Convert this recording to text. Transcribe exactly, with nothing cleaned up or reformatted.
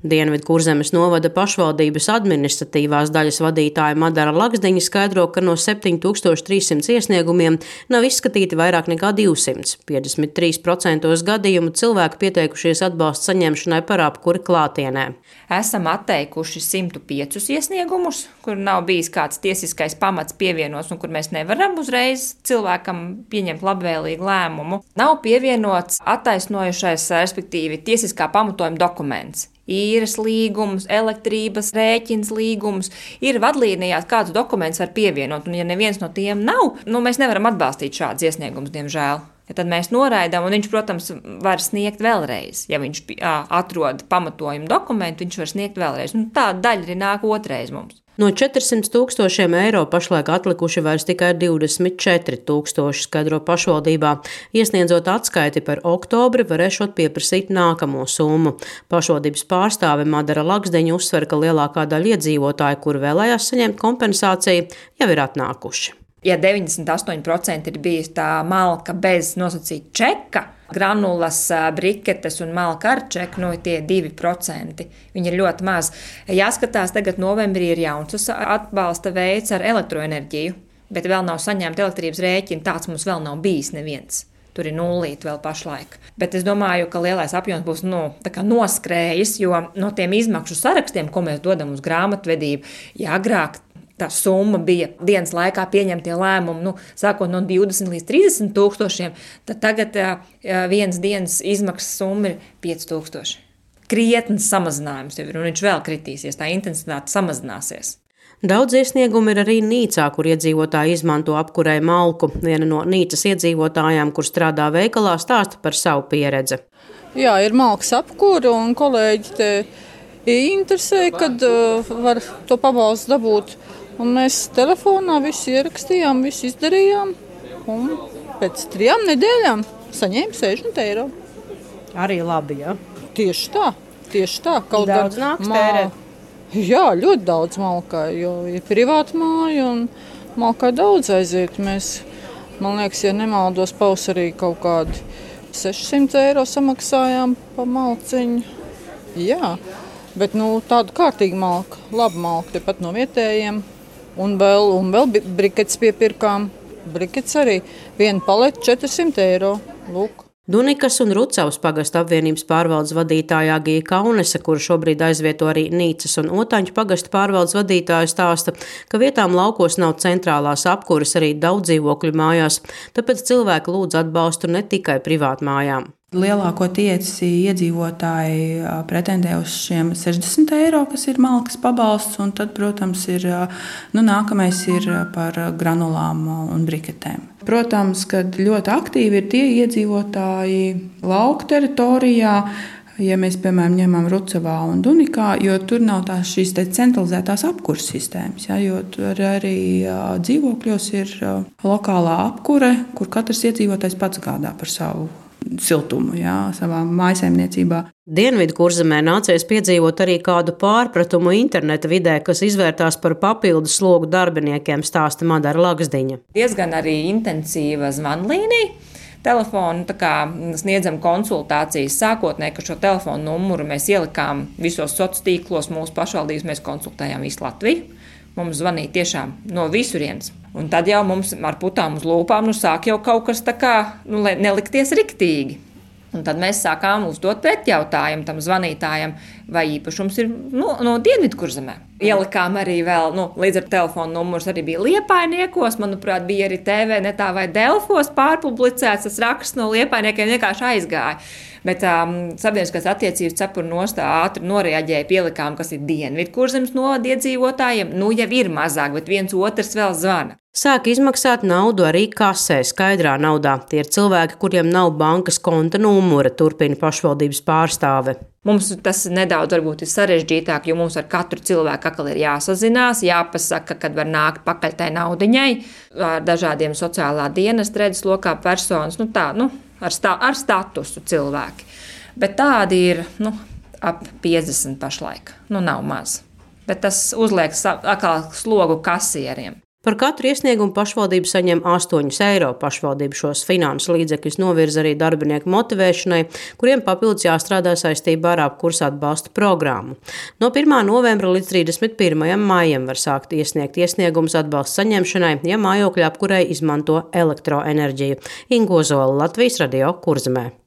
Dienvidkurzemes novada pašvaldības administratīvās daļas vadītāja Madara Laksdiņa skaidro, ka no septiņi tūkstoši trīs simti iesniegumiem nav izskatīti vairāk nekā divsimt. piecdesmit trīs procenti gadījumu cilvēki pieteikušies atbalsta saņemšanai par apkuri klātienē. Esam atteikuši simt piecus iesniegumus, kur nav bijis kāds tiesiskais pamats pievienots un kur mēs nevaram uzreiz cilvēkam pieņemt labvēlīgu lēmumu. Nav pievienots attaisnojušais, respektīvi tiesiskā pamatojuma dokuments. Īres līgums, elektrības rēķins līgums, ir vadlīnijās kāds dokuments var pievienot, un ja neviens no tiem nav, nu mēs nevaram atbalstīt šādus iesniegumus, diemžēl. Ja tad mēs noraidām, un viņš, protams, var sniegt vēlreiz. Ja viņš atrod pamatojumu dokumentu, viņš var sniegt vēlreiz. Nu, tāda daļa arī nāk otrais mums. No četrsimt tūkstošiem eiro pašlaik atlikuši vairs tikai divdesmit četri tūkstoši, skaidro pašvaldībā. Iesniedzot atskaiti par oktobri, varēšot pieprasīt nākamo summu. Pašvaldības pārstāve Madara Laksdiņa uzsver, ka lielākā daļa iedzīvotāju, kur vēlējās saņemt kompensāciju, jau ir atnākuši. Ja deviņdesmit astoņi procenti ir bijis tā malka bez nosacīta čeka, granulas, briketes un malka ar čeku, no tie divi procenti. Viņi ir ļoti maz. Jāskatās, tagad novembrī ir jauns atbalsta veids ar elektroenerģiju, bet vēl nav saņemta elektrības rēķina, tāds mums vēl nav bijis neviens. Tur ir nullīt vēl pašlaik. Bet es domāju, ka lielais apjoms būs nu, tā kā noskrējis, jo no tiem izmaksu sarakstiem, ko mēs dodam uz grāmatvedību, ja agrāk tā summa bija dienas laikā pieņemtie lēmumi, nu, sākot no divdesmit līdz trīsdesmit tūkstošiem, tad tagad jā, vienas dienas izmaksas summa ir pieci tūkstoši. Krietnes samazinājums jau ir, un viņš vēl kritīsies, tā intensitāte samazināsies. Daudz iesniegumu ir arī Nīcā, kur iedzīvotāji izmanto apkurei malku. Viena no Nīcas iedzīvotājām, kur strādā veikalā, stāsta par savu pieredzi. Jā, ir malkas apkura, un kolēģi te interesē, kad uh, var to pabalstu dabūt. Un mēs telefonā visu ierakstījām, visu izdarījām, un pēc trijām nedēļām saņēma sešdesmit eiro. Arī labi, jā? Tieši tā, tieši tā. Kaut daudz nāks tērēt? Jā, ļoti daudz malkai, jo ir privāta māja un malkai daudz aiziet. Mēs, man liekas, ja nemaldos, pavasarī kaut kādi sešsimt eiro samaksājām pa malciņu. Jā, bet nu, tāda kārtīga malka, laba malka, tepat no vietējiem. Un vēl, un vēl briketes piepirkām. Briketes arī. Viena paleta četrsimt eiro. Lūk. Dunikas un Rucavas pagasta apvienības pārvaldes vadītāja Agija Kaunese, kura šobrīd aizvieto arī Nīcas un Otaņu pagasta pārvaldes vadītāja, stāsta, ka vietām laukos nav centrālās apkuras arī daudz dzīvokļu mājās, tāpēc cilvēki lūdz atbalstu ne tikai privātmājām. Lielākoties iedzīvotāji pretendē uz šiem sešdesmit eiro, kas ir malkas pabalsts, un tad, protams, ir, nu, nākamais ir par granulām un briketēm. Protams, kad ļoti aktīvi ir tie iedzīvotāji lauku teritorijā, ja mēs, piemēram, ņemam Rucavā un Dunikā, jo tur nav tās šīs te centralizētās apkuras sistēmas, ja, jo tur arī dzīvokļos ir lokālā apkure, kur katrs iedzīvotājs pats gādā par savu siltumu, jā, savā mājsaimniecībā. Dienvidkurzemē nācies piedzīvot arī kādu pārpratumu interneta vidē, kas izvērtās par papildus slogu darbiniekiem, stāsta Madara Laksdiņa. Diezgan arī intensīva zvanlīnija. Telefonu tā kā sniedzam konsultācijas sākotnēji, ka šo telefonu numuru mēs ielikām visos sociālos tīklos, mūsu pašvaldības mēs konsultējām visu Latviju. Mums zvanīja tiešām no visurienes. Un tad jau mums ar putām uz lūpām nu sāk jau kaut kas tā kā nu, nelikties riktīgi. Un tad mēs sākām uzdot pretjautājumu tam zvanītājam, vai īpašums ir no, no Dienvidkurzemē. Ielikām arī vēl, nu, līdz ar telefonu numurs arī bija Liepainiekos, manuprāt, bija arī T V netā vai Delfos pārpublicēts, tas raksts no Liepainiekiem vienkārši aizgāja. Bet um, sabiedriskās attiecības cepura nostā ātri noreaģēja, pielikām, kas ir Dienvidkurzemes novada iedzīvotājiem. Nu, jau ir mazāk, bet viens otrs vēl zvana. Sāk izmaksāt naudu arī kasē, skaidrā naudā. Tie ir cilvēki, kuriem nav bankas konta numura, turpina pašvaldības pārstāve. Mums tas nedaudz varbūt ir sarežģītāk, jo mums ar katru cilvēku atkal ir jāsazinās, jāpasaka, kad var nākt pakaļ tai naudiņai, ar dažādiem sociālā dienesta redzeslokā personas, nu tā, nu, ar, stā, ar statusu cilvēki. Bet tādi ir, nu, ap piecdesmit pašlaik, nu nav maz. Bet tas uzliek atkal slogu kasieriem. Par katru iesniegumu pašvaldība saņem astoņus eiro. Pašvaldība šos finansu līdzekļus novirza arī darbinieku motivēšanai, kuriem papildus jāstrādā saistībā ar apkursa atbalsta programmu. No pirmā novembra līdz trīsdesmit pirmajam maijam var sākt iesniegt iesniegumus atbalsta saņemšanai, ja mājokļa apkurei izmanto elektroenerģiju. Inga Ozola, Latvijas radio, Kurzemē.